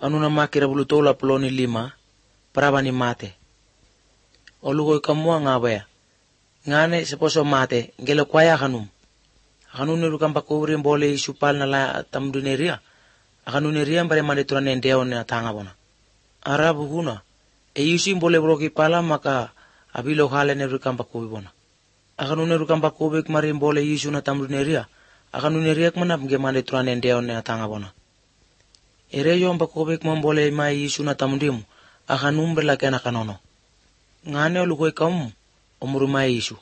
anuna makira bulutola ploni 5 paraba ni mate. Olugoy kamua ngabaya. Ngane seposo mate ngelo kwaya kanum. Akanune rukam pakubri mbole isupal na la tamduneria. Akanune riam bare manditura nendeo na tanga bona. Arabu huna. Yusi mbole broki pala maka abilo hale ne rukam pakubi bona. Akanune rukam pakubi kmari mbole yusu na tamduneria. Akanune riak manap nge manditura nendeo na tanga bona. Ereyo pakubi kmambole mai yusu na tamundimu. Akanumbre la kena kanono. Ngane olugoy kamu omurumai yusu.